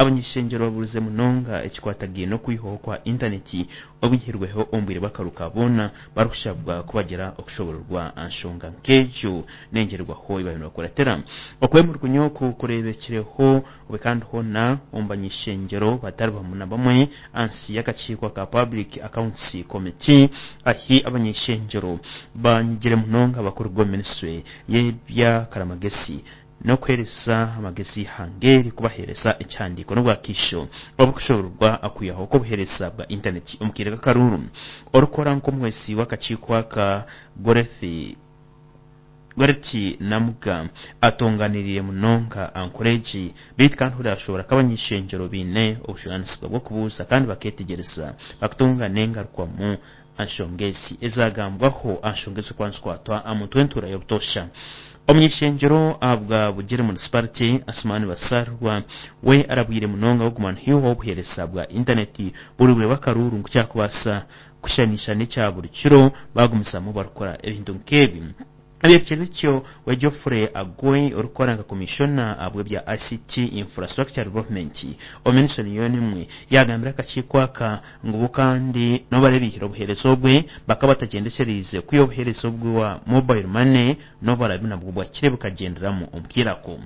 Abany'ishengyero baburize munonga ekikwatagaine n'okwihwaho kwa intaneti obwihirweho omu bwire bw'akaruuru ka boona barikushabwa ku bagira okushobororwa aha nshonga nk'egyo n'engyererwaho ei baabaire nibakuratira. Okwemulugunya oku kureebekireho obwe kandi hoona omu bany'ishengyero batari bamwe na bamwe ahansi y'akakiiko aka Public Accounts Committee ahi abany'ishengyero banyigire munonga abakuruga omu minisitule y'ebyakaramagesi n'okuheereza amagezi eihanga eri kubaheereza ekihandiiko n'obwakaisho obukushobororwa okwihaho kw'obuheereza bwa intaneti omu kaire k'akaruuru. Orikukora nk'omuhwezi w'akakiiko aka, Gorethi Goretti Namuga atonganiriire munonga aha nkora egi beitu kandi hurira ashoboora ku abany'ishengyero baine obujunaanizibwa bw'okubuuza kandi bakeetegyereza bakutunga n'engarukwamu aha nshonga ezi ezagambwaho aha nshonga ezirikuba nizikwatwa aha muntu w'entuura y'obutoosha. Omuny'ishengyero ahabwa Bugiri Munisiparite, Asuman Basarwa we arabwire munonga kuguma nihaihaho obuheereza bwa intaneti buri bwire bw'akaruuru ngu kyakubaasa kushushanisha n'ekya buri kiro baagumizamu barikukora ebintu nk'ebi. Ebyekire bityo, we Geoffrey Agoi orikukora nka Komishona ahabw'ebya ICT Infrastructure Development omu minisitule niyo emwe yaagambira akakiiko aka ngu bo kandi n'obu barabiihire obuheereza obwe bakaba batagyendesereize kwiha obuheereza obwa mobile money n'obu baraabe nabwo bwakire bukagyenderamu omu kaire ako.